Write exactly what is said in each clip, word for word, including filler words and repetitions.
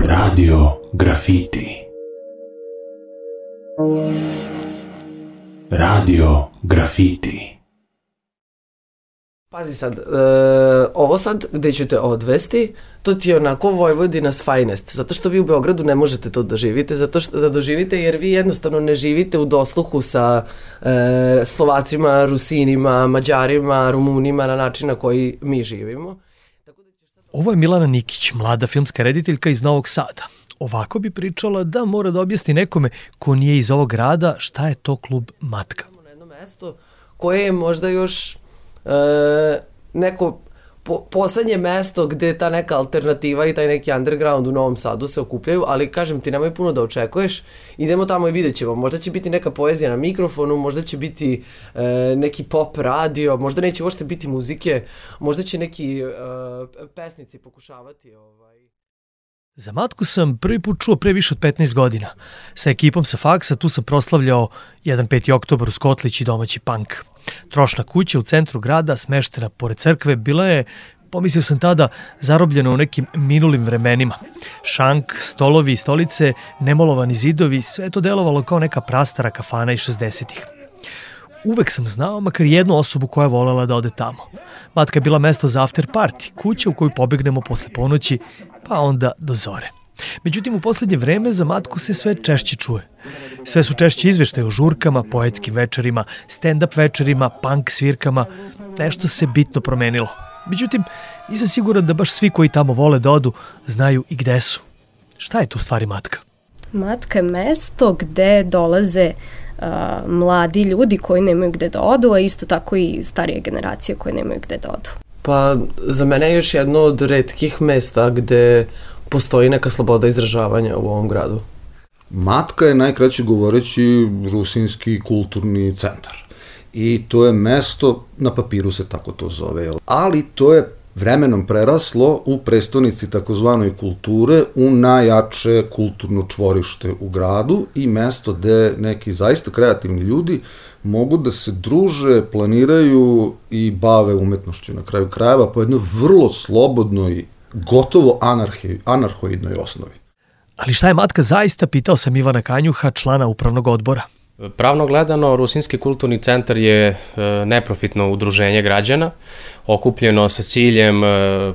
Radio Grafiti. Radio Grafiti. Pazi sad, e, ovo sad gde ću te odvesti, to ti je onako Vojvodina's finest, zato što vi u Beogradu ne možete to doživite, zato što da doživite jer vi jednostavno ne živite u dosluhu sa e, Slovacima, Rusinima, Mađarima, Rumunima na način na koji mi živimo. Ovo je Milana Nikić, mlada filmska rediteljka iz Novog Sada. Ovako bi pričala da mora da objasni nekome ko nije iz ovog grada šta je to klub Matka. Na jedno mesto koje je možda još e, neko po, poslednje mesto gde ta neka alternativa i taj neki underground u Novom Sadu se okupljaju, ali kažem ti, nemoj puno da očekuješ, idemo tamo i vidjet ćemo, možda će biti neka poezija na mikrofonu, možda će biti e, neki pop radio, možda neće uopšte biti muzike, možda će neki e, pesnici pokušavati ovaj... Za Matku sam prvi put čuo pre više od petnaest godina. Sa ekipom sa faksa tu sam proslavljao jedan peti oktobar u Skotlić i domaći punk. Trošna kuća u centru grada, smeštena pored crkve, bila je, pomislio sam tada, zarobljena u nekim minulim vremenima. Šank, stolovi i stolice, nemolovani zidovi, sve to delovalo kao neka prastara kafana iz šezdesetih. Uvek sam znao makar jednu osobu koja je volela da ode tamo. Matka je bila mesto za after party, kuća u koju pobegnemo posle ponoći, pa onda do zore. Međutim, u poslednje vreme za Matku se sve češće čuje. Sve su češće izveštaje o žurkama, poetskim večerima, stand-up večerima, punk svirkama. Nešto se bitno promenilo. Međutim, nisam siguran da baš svi koji tamo vole da odu znaju i gde su. Šta je tu u stvari Matka? Matka je mesto gde dolaze uh, mladi ljudi koji nemaju gde da odu, a isto tako i starije generacije koje nemaju gde da odu. Pa za mene je još jedno od retkih mesta gde postoji neka sloboda izražavanja u ovom gradu. Matka je, najkraće govoreći, rusinski kulturni centar. I to je mesto, na papiru se tako to zove, ali to je vremenom preraslo u prestonici takozvanoj kulture, u najjače kulturno čvorište u gradu i mesto gde neki zaista kreativni ljudi mogu da se druže, planiraju i bave umetnošću na kraju krajeva po jednoj vrlo slobodnoj, gotovo anarhi, anarhoidnoj osnovi. Ali šta je Matka zaista, pitao sam Ivana Kanjuha, člana upravnog odbora. Pravno gledano, Rusinski kulturni centar je neprofitno udruženje građana, okupljeno sa ciljem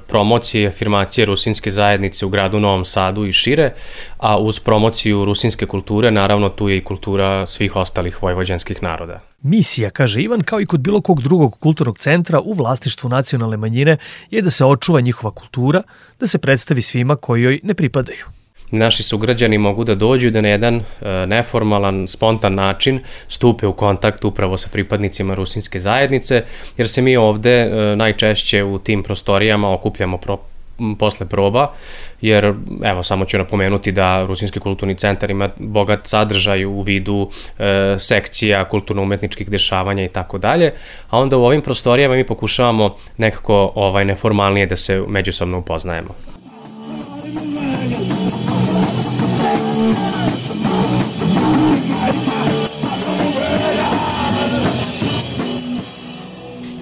promocije i afirmacije rusinske zajednice u gradu Novom Sadu i šire, a uz promociju rusinske kulture, naravno tu je i kultura svih ostalih vojvođanskih naroda. Misija, kaže Ivan, kao i kod bilo kog drugog kulturnog centra u vlasništvu nacionalne manjine, je da se očuva njihova kultura, da se predstavi svima koji joj ne pripadaju. Naši sugrađani mogu da dođu i da na jedan neformalan, spontan način stupe u kontakt upravo sa pripadnicima rusinske zajednice, jer se mi ovde najčešće u tim prostorijama okupljamo pro, posle proba, jer evo samo ću napomenuti da Rusinski kulturni centar ima bogat sadržaj u vidu e, sekcija, kulturno-umetničkih dešavanja i tako dalje, a onda u ovim prostorijama mi pokušavamo nekako ovaj, neformalnije da se međusobno upoznajemo.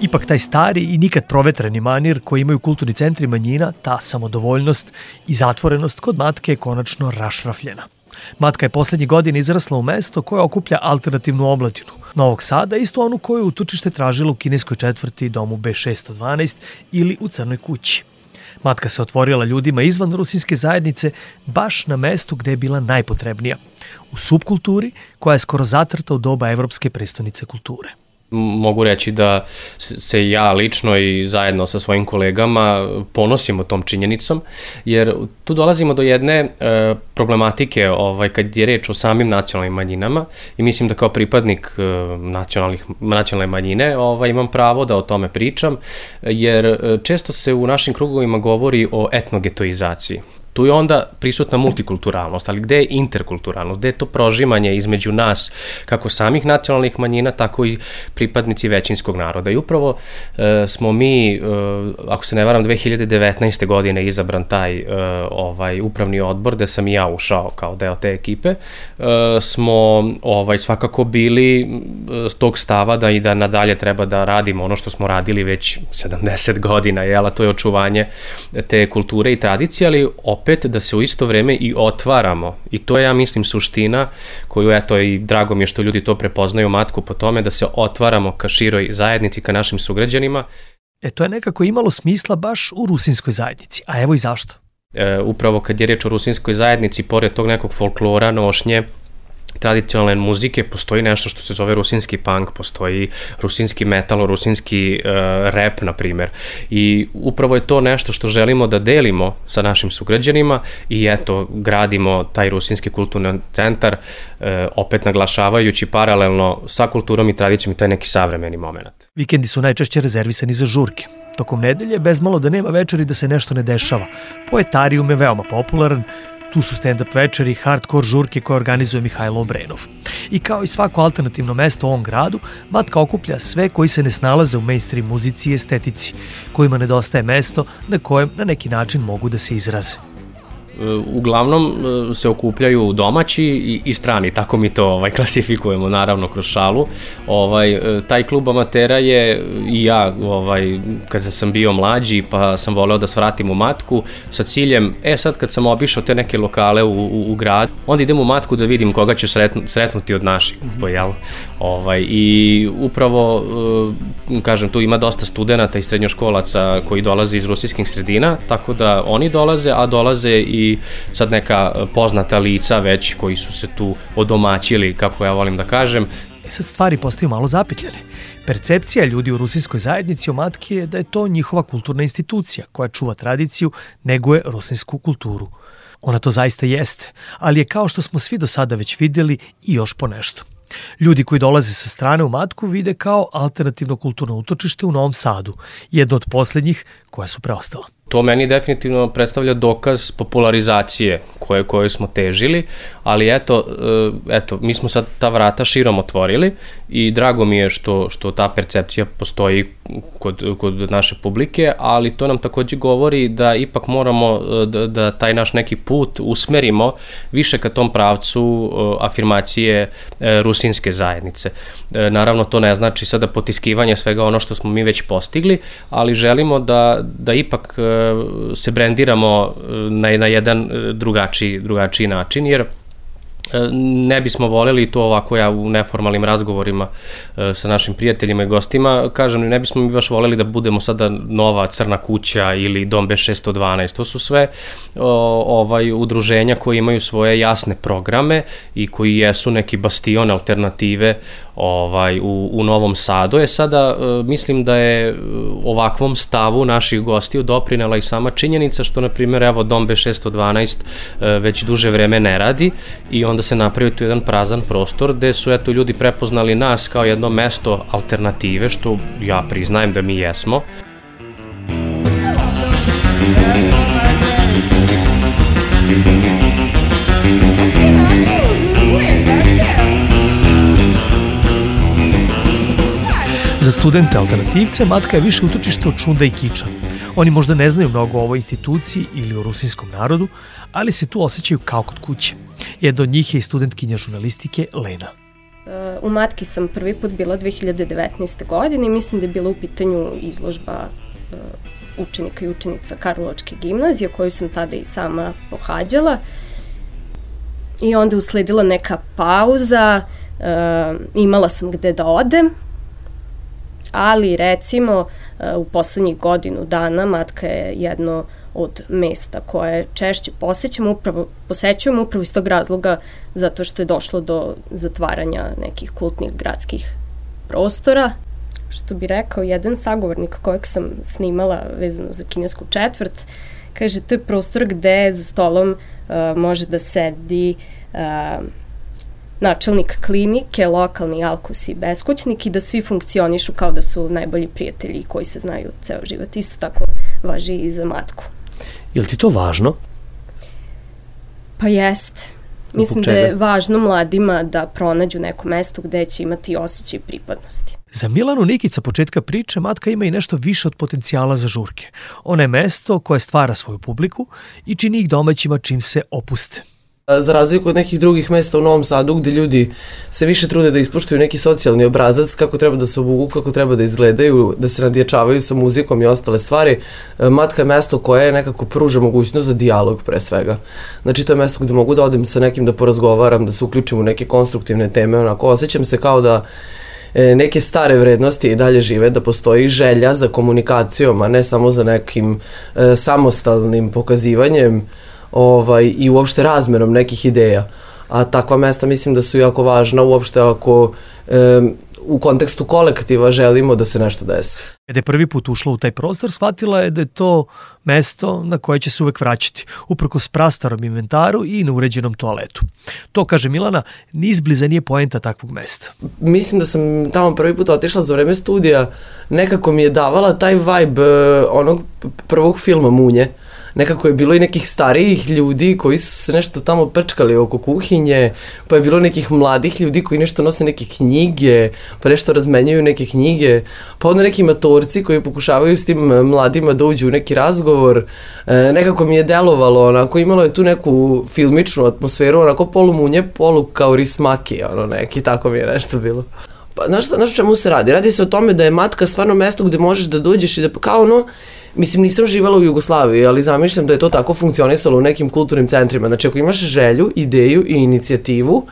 Ipak taj stari i nikad provetreni manir koji imaju kulturni centri manjina, ta samodovoljnost i zatvorenost kod Matke je konačno rašrafljena. Matka je poslednje godine izrasla u mesto koje okuplja alternativnu omladinu Novog Sada, isto onu koju utočište tražila u kineskoj četvrti domu B šesto dvanaest ili u Crnoj kući. Matka se otvorila ljudima izvan rusinske zajednice baš na mestu gde je bila najpotrebnija, u subkulturi koja je skoro zatrta u doba Evropske prestonice kulture. Mogu reći da se ja lično i zajedno sa svojim kolegama ponosimo tom činjenicom, jer tu dolazimo do jedne e, problematike ovaj, kad je reč o samim nacionalnim manjinama i mislim da kao pripadnik e, nacionalnih, nacionalne manjine ovaj, imam pravo da o tome pričam, jer često se u našim krugovima govori o etnogetoizaciji. Tu je onda prisutna multikulturalnost, ali gde je interkulturalnost, gde je to prožimanje između nas, kako samih nacionalnih manjina, tako i pripadnici većinskog naroda. I upravo e, smo mi, e, ako se ne varam, dve hiljade devetnaeste. godine izabran taj e, ovaj upravni odbor, gde sam i ja ušao kao deo te ekipe, e, smo ovaj, svakako bili s tog stava da i da nadalje treba da radimo ono što smo radili već sedamdeset godina, jel, a to je očuvanje te kulture i tradicije, ali opet da se u isto vreme i otvaramo. I to je, ja mislim, suština koju, eto, i drago mi je što ljudi to prepoznaju matku po tome, da se otvaramo ka široj zajednici, ka našim sugrađanima. E, to je nekako imalo smisla baš u rusinskoj zajednici, a evo i zašto. E, upravo kad je reč o rusinskoj zajednici, pored tog nekog folklora, nošnje, tradicionalne muzike, postoji nešto što se zove rusinski punk, postoji rusinski metal, rusinski uh, rap, na primer. I upravo je to nešto što želimo da delimo sa našim sugrađanima i eto, gradimo taj rusinski kulturni centar, uh, opet naglašavajući paralelno sa kulturom i tradicijom i taj neki savremeni moment. Vikendi su najčešće rezervisani za žurke. Tokom nedelje, bez malo da nema večeri da se nešto ne dešava. Poetarium je veoma popularan, tu su stand-up večeri, hardcore žurke koje organizuje Mihajlo Obrenov. I kao i svako alternativno mesto u ovom gradu, Matka okuplja sve koji se ne snalaze u mainstream muzici i estetici, kojima nedostaje mesto na kojem na neki način mogu da se izraze. Uglavnom se okupljaju domaći i, i strani, tako mi to ovaj, klasifikujemo, naravno, kroz šalu. Ovaj, taj klub amatera je i ja, ovaj, kad sam bio mlađi, pa sam voleo da svratim u Matku sa ciljem, e sad kad sam obišao te neke lokale u, u, u grad, onda idem u Matku da vidim koga ću sretnu, sretnuti od naših, mm-hmm. jel? Ovaj, i upravo, kažem, tu ima dosta studenata i srednjoškolaca koji dolaze iz rusijskih sredina, tako da oni dolaze, a dolaze i sad neka poznata lica već koji su se tu odomaćili, kako ja volim da kažem. E sad stvari postaju malo zapetljane. Percepcija ljudi u rusinskoj zajednici o Matki je da je to njihova kulturna institucija koja čuva tradiciju, neguje rusinsku kulturu. Ona to zaista jeste, ali je, kao što smo svi do sada već vidjeli, i još po nešto. Ljudi koji dolaze sa strane u Matku vide kao alternativno kulturno utočište u Novom Sadu, jedno od posljednjih koja su preostala. To meni definitivno predstavlja dokaz popularizacije koje, koje smo težili, ali eto, eto, mi smo sad ta vrata širom otvorili i drago mi je što, što ta percepcija postoji kod, kod naše publike, ali to nam takođe govori da ipak moramo da, da taj naš neki put usmerimo više ka tom pravcu afirmacije rusinske zajednice. Naravno, to ne znači sada potiskivanje svega ono što smo mi već postigli, ali želimo da, da ipak se brendiramo na, na jedan drugačiji, drugačiji način, jer ne bismo voljeli to ovako, ja u neformalnim razgovorima sa našim prijateljima i gostima, kažem, ne bismo mi baš voljeli da budemo sada nova Crna kuća ili Dom B šesto dvanaest, to su sve o, ovaj, udruženja koji imaju svoje jasne programe i koji jesu neki bastion alternative ovaj, u, u Novom Sadu. Je sada, mislim da je ovakvom stavu naših gostiju doprinela i sama činjenica što, na primjer, evo, Dom B šesto dvanaest već duže vreme ne radi i onda se napravi tu jedan prazan prostor gde su, eto, ljudi prepoznali nas kao jedno mesto alternative, što ja priznajem da mi jesmo. Za studente alternativce Matka je više utočište od šunda i kiča. Oni možda ne znaju mnogo o ovoj instituciji ili o rusinskom narodu, ali se tu osjećaju kao kod kuće. Jedna od njih je i studentkinja žurnalistike Lena. U Matki sam prvi put bila dve hiljade devetnaeste. godine i mislim da je bila u pitanju izložba učenika i učenica Karlovačke gimnazije, koju sam tada i sama pohađala. I onda usledila neka pauza, imala sam gde da odem, ali recimo u poslednjih godinu dana Matka je jedno od mesta koje češće posećujemo upravo, posećujemo upravo iz tog razloga zato što je došlo do zatvaranja nekih kultnih gradskih prostora. Što bi rekao jedan sagovornik kojeg sam snimala vezano za kinesku četvrt, kaže, to je prostor gde za stolom uh, može da sedi uh, načelnik klinike, lokalni alkus i beskućnik i da svi funkcionišu kao da su najbolji prijatelji koji se znaju ceo život. Isto tako važi i za Matku. Je li ti to važno? Pa jeste. Mislim da je važno mladima da pronađu neko mesto gde će imati osjećaj pripadnosti. Za Milanu Nikić sa početka priče Matka ima i nešto više od potencijala za žurke. Ona je mesto koje stvara svoju publiku i čini ih domaćima čim se opuste. Za razliku od nekih drugih mesta u Novom Sadu gde ljudi se više trude da ispoštuju neki socijalni obrazac, kako treba da se obuku, kako treba da izgledaju, da se nadjačavaju sa muzikom i ostale stvari, Matka je mesto koje nekako pruža mogućnost za dijalog pre svega. Znači to je mesto gde mogu da odem sa nekim da porazgovaram, da se uključim u neke konstruktivne teme, onako osjećam se kao da neke stare vrednosti i dalje žive, da postoji želja za komunikacijom, a ne samo za nekim e, samostalnim pokazivanjem ovaj, i uopšte razmenom nekih ideja. A takva mesta mislim da su jako važna uopšte ako e, u kontekstu kolektiva želimo da se nešto desi. Kada je prvi put ušla u taj prostor, shvatila je da je to mesto na koje će se uvek vraćati, uprkos prastarom inventaru i neuređenom toaletu. To, kaže Milana, ni izbliza nije poenta takvog mesta. Mislim da sam tamo prvi put otišla za vreme studija, nekako mi je davala taj vibe onog prvog filma Munje. Nekako je bilo i nekih starijih ljudi koji su se nešto tamo prčkali oko kuhinje, pa je bilo nekih mladih ljudi koji nešto nose neke knjige, pa nešto razmenjuju neke knjige, pa onda neki matorci koji pokušavaju s tim mladima da uđu u neki razgovor. E, nekako mi je delovalo, onako, imalo je tu neku filmičnu atmosferu, onako polu Munje, polu kao Rismaki, ono neki, tako mi je nešto bilo. Pa, znaš, znaš o čemu se radi? Radi se o tome da je Matka stvarno mesto gde možeš da dođeš i da, kao ono, mislim, nisam živala u Jugoslaviji, ali zamišljam da je to tako funkcionisalo u nekim kulturnim centrima. Znači, ako imaš želju, ideju i inicijativu,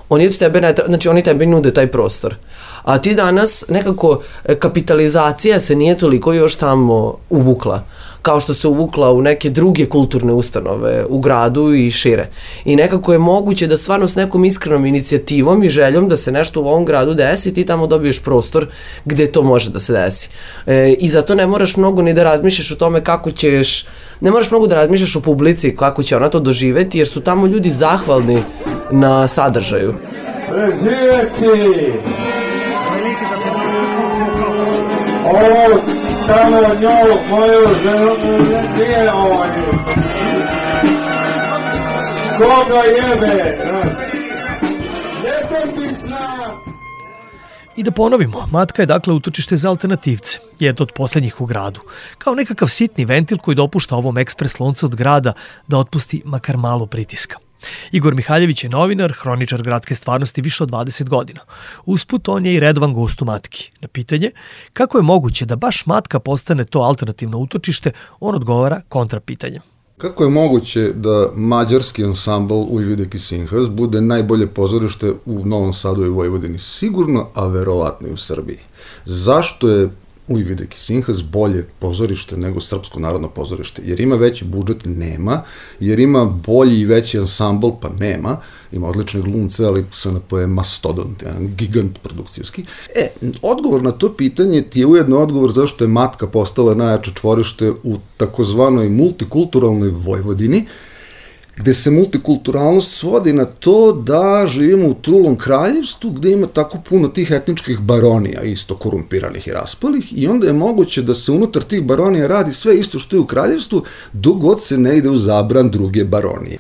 oni od tebe, ne, znači, oni tebi nude taj prostor. A ti danas, nekako, kapitalizacija se nije toliko još tamo uvukla, kao što se uvukla u neke druge kulturne ustanove u gradu i šire. I nekako je moguće da stvarno s nekom iskrenom inicijativom i željom da se nešto u ovom gradu desi, ti tamo dobiješ prostor gde to može da se desi. E, I zato ne moraš mnogo ni da razmišljaš o tome kako ćeš, ne moraš mnogo da razmišljaš o publici, kako će ona to doživeti, jer su tamo ljudi zahvalni na sadržaju. Preživjeti! Ovo tamo nju, moju ženu, nije ovaj. Koga jebe? I da ponovimo, Matka je dakle utočište za alternativce, jedno od poslednjih u gradu, kao nekakav sitni ventil koji dopušta ovom ekspres loncu od grada da otpusti makar malo pritiska. Igor Mihaljević je novinar, hroničar gradske stvarnosti više od dvadeset godina. Usput on je i redovan gost u Matki. Na pitanje kako je moguće da baš Matka postane to alternativno utočište, on odgovara kontrapitanjem. Kako je moguće da mađarski ansambl Ujvidek i Sinhas bude najbolje pozorište u Novom Sadu i Vojvodini? Sigurno, a verovatno i u Srbiji. Zašto je Ujvidek i Sinhas bolje pozorište nego Srpsko narodno pozorište? Jer ima veći budžet? Nema. Jer ima bolji i veći ansambl? Pa nema. Ima odlične glumce, ali S N P je mastodont, jedan gigant produkcijski. E, odgovor na to pitanje ti je ujedno odgovor zašto je Matka postala najjače čvorište u takozvanoj multikulturalnoj Vojvodini, gde se multikulturalnost svodi na to da živimo u trulom kraljevstvu gde ima tako puno tih etničkih baronija, isto korumpiranih i raspalih, i onda je moguće da se unutar tih baronija radi sve isto što je u kraljevstvu, dok god se ne ide u zabran druge baronije.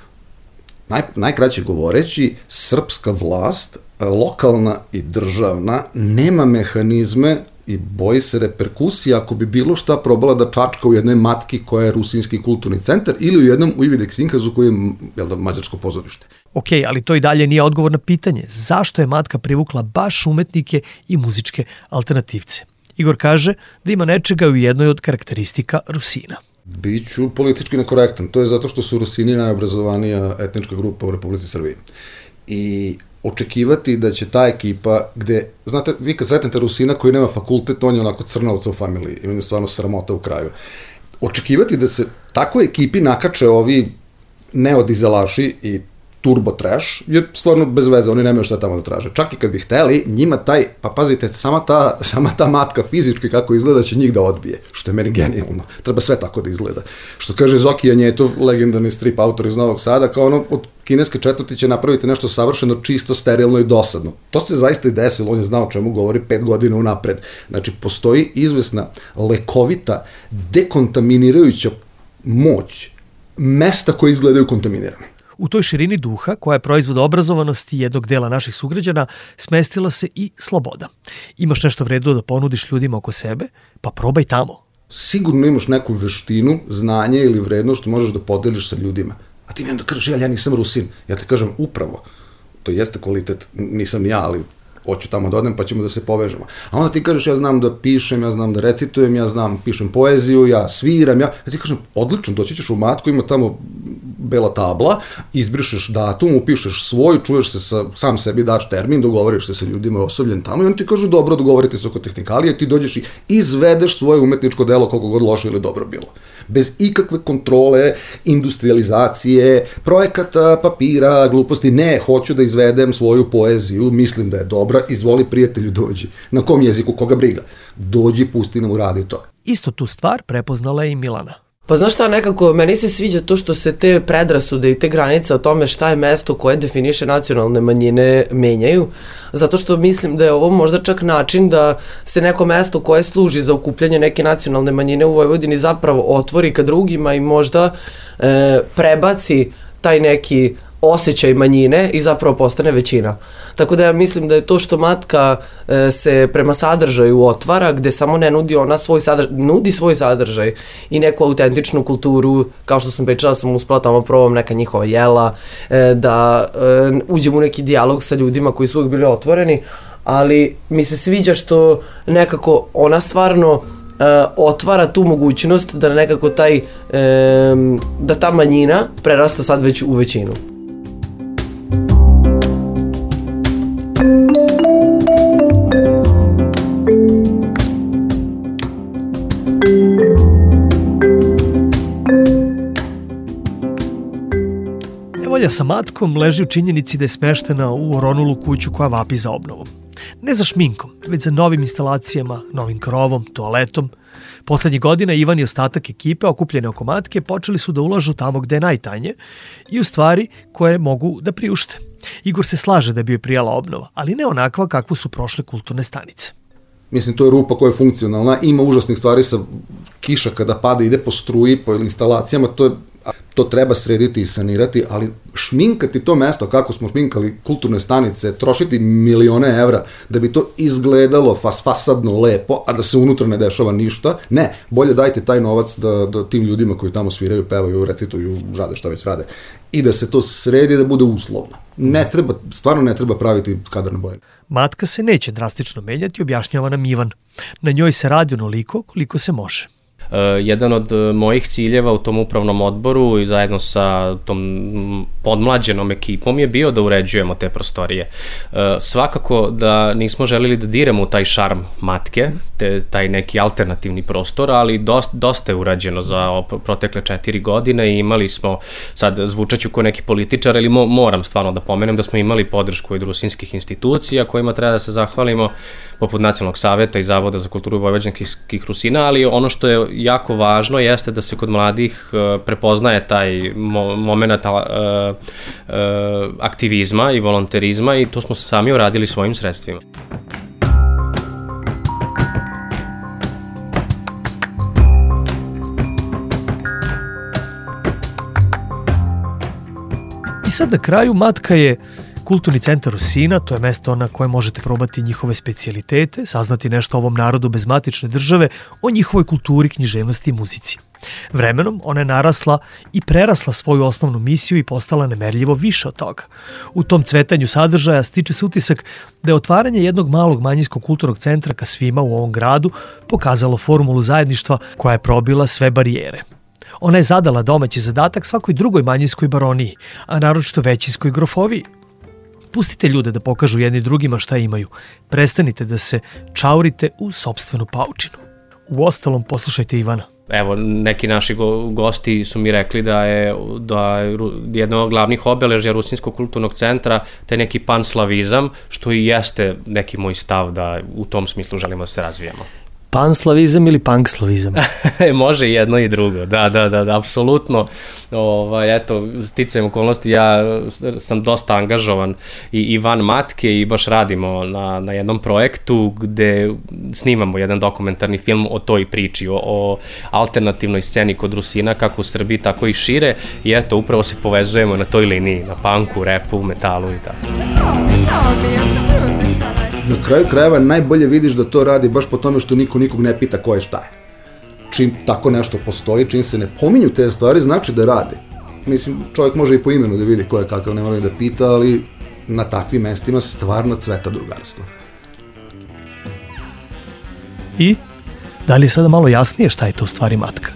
Naj, najkraće govoreći, srpska vlast, lokalna i državna, nema mehanizme i boji se reperkusija ako bi bilo šta probala da čačka u jednoj Matki koja je rusinski kulturni centar ili u jednom Ujvidek Sinhasu koji je, jel da, mađarsko pozorište. Ok, ali to i dalje nije odgovor na pitanje zašto je Matka privukla baš umetnike i muzičke alternativce. Igor kaže da ima nečega u jednoj od karakteristika Rusina. Biću politički nekorektan. To je zato što su Rusini najobrazovanija etnička grupa u Republici Srbiji. I očekivati da će ta ekipa gde, znate, vi kad sretnete Rusina koji nema fakultet, on je onako crnovca u familiji i on je stvarno sramota u kraju. Očekivati da se takoj ekipi nakače ovi neodizelaši i turbo trash je stvarno bez veze, oni nemaju šta tamo da traže. Čak i kad bi hteli, njima taj, pa pazite, sama ta, sama ta Matka fizički kako izgleda će njih da odbije, što je meni genijalno. Treba sve tako da izgleda. Što kaže Zoki Janjetov, legendarni strip autor iz Novog Sada, kao ono, od kineske četvrti će napraviti nešto savršeno, čisto, sterilno i dosadno. To se zaista i desilo, on je znao o čemu govori pet godina unapred. Znači, postoji izvesna, lekovita, dekontaminirajuća moć mesta koje izgledaju kontaminirane. U toj širini duha, koja je proizvod obrazovanosti jednog dela naših sugrađana, smestila se i sloboda. Imaš nešto vredno da ponudiš ljudima oko sebe, pa probaj tamo. Sigurno imaš neku veštinu, znanje ili vrednost što možeš da podeliš sa ljudima. A ti mi onda kažeš, ja, ja nisam Rusin. Ja te kažem, upravo, to jeste kvalitet, nisam ja, ali hoću tamo da odem pa ćemo da se povežemo. A onda ti kažeš, ja znam da pišem, ja znam da recitujem, ja znam, pišem poeziju, ja sviram, ja, ja ti kažem, odlično, doći ćeš u Matku, ima tamo bela tabla, izbrišeš datum, upišeš svoj, čuješ se sa, sam sebi, daš termin, dogovoriš se sa ljudima osobljen tamo i oni ti kažu, dobro, dogovorite se oko tehnikalije, ti dođeš i izvedeš svoje umetničko delo koliko god loše ili dobro bilo. Bez ikakve kontrole, industrializacije, projekata, papira, gluposti, ne, hoću da izvedem svoju poeziju, mislim da je dobra, izvoli prijatelju, dođi. Na kom jeziku, koga briga? Dođi, pusti nam, uradi to. Isto tu stvar prepoznala je i Milana. Pa znaš šta, nekako, meni se sviđa to što se te predrasude i te granice o tome šta je mesto koje definiše nacionalne manjine menjaju, zato što mislim da je ovo možda čak način da se neko mesto koje služi za okupljanje neke nacionalne manjine u Vojvodini zapravo otvori ka drugima i možda e, prebaci taj neki osjećaj manjine i zapravo postane većina. Tako da ja mislim da je to što Matka e, se prema sadržaju otvara, gde samo ne nudi ona svoj sadržaj, nudi svoj sadržaj i neku autentičnu kulturu, kao što sam pričala, sam uspela tamo probam neka njihova jela, e, da e, uđem u neki dijalog sa ljudima koji su uvijek bili otvoreni, ali mi se sviđa što nekako ona stvarno Uh, otvara tu mogućnost da nekako taj, um, da ta manjina prerasta sad već u većinu. Nevolja sa Matkom leži u činjenici da je smeštena u oronulu kuću koja vapi za obnovom. Ne za šminkom, već za novim instalacijama, novim krovom, toaletom. Poslednjih godina Ivan i ostatak ekipe okupljene oko Matke počeli su da ulažu tamo gde je najtanje i u stvari koje mogu da priušte. Igor se slaže da bi joj prijala obnova, ali ne onakva kakvu su prošle kulturne stanice. Mislim, to je rupa koja je funkcionalna, ima užasnih stvari sa kiša kada pada, ide po struji, po instalacijama, to je to treba srediti i sanirati, ali šminkati to mesto kako smo šminkali kulturne stanice, trošiti milione evra da bi to izgledalo fas, fasadno lepo, a da se unutra ne dešava ništa, ne, bolje dajte taj novac da, da tim ljudima koji tamo sviraju, pevaju, recituju, rade šta već rade, i da se to sredi da bude uslovno. Ne treba, stvarno ne treba praviti skadarne boje. Matka se neće drastično menjati, objašnjava nam Ivan. Na njoj se radi onoliko koliko se može. Uh, jedan od mojih ciljeva u tom upravnom odboru i zajedno sa tom podmlađenom ekipom je bio da uređujemo te prostorije. Uh, svakako da nismo želili da diramo u taj šarm Matke, te, taj neki alternativni prostor, ali dosta, dosta je urađeno za protekle četiri godine i imali smo, sad zvučaću kao neki političar, ali mo, moram stvarno da pomenem da smo imali podršku od rusinskih institucija kojima treba da se zahvalimo, poput Nacionalnog saveta i Zavoda za kulturu vojvođanskih Rusina, ali ono što je jako važno jeste da se kod mladih uh, prepoznaje taj mo moment uh, uh, aktivizma i volonterizma i to smo sami uradili svojim sredstvima. I sad na kraju Matka je Kulturni centar Rusina, to je mesto na koje možete probati njihove specijalitete, saznati nešto o ovom narodu bez matične države, o njihovoj kulturi, književnosti i muzici. Vremenom ona je narasla i prerasla svoju osnovnu misiju i postala nemerljivo više od toga. U tom cvetanju sadržaja stiče se utisak da je otvaranje jednog malog manjinskog kulturnog centra ka svima u ovom gradu pokazalo formulu zajedništva koja je probila sve barijere. Ona je zadala domaći zadatak svakoj drugoj manjinskoj baroniji, a naročito većinskoj grofoviji. Pustite ljude da pokažu jedni drugima šta imaju. Prestanite da se čaurite u sopstvenu paučinu. Uostalom, poslušajte Ivana. Evo, neki naši go, gosti su mi rekli da je, da je jedno od glavnih obeležja Rusinskog kulturnog centra taj neki panslavizam, što i jeste neki moj stav da u tom smislu želimo da se razvijamo. panslavizam ili punkslavizam? Može jedno i drugo, da, da, da, da, apsolutno. Ovaj, eto, sticajem okolnosti, ja sam dosta angažovan i, i van matke i baš radimo na, na jednom projektu gde snimamo jedan dokumentarni film o toj priči, o, o alternativnoj sceni kod Rusina, kako u Srbiji, tako i šire, i eto, upravo se povezujemo na toj liniji, na punku, repu, metalu i tako. Na kraju krajeva najbolje vidiš da to radi baš po tome što niko nikog ne pita ko je šta je. Čim tako nešto postoji, čim se ne pominju te stvari, znači da radi. Mislim, čovjek može i po imenu da vidi ko je kakav, ne mora da pita, ali na takvim mestima stvarno cveta drugarstvo. I da li je sada malo jasnije šta je to u stvari matka?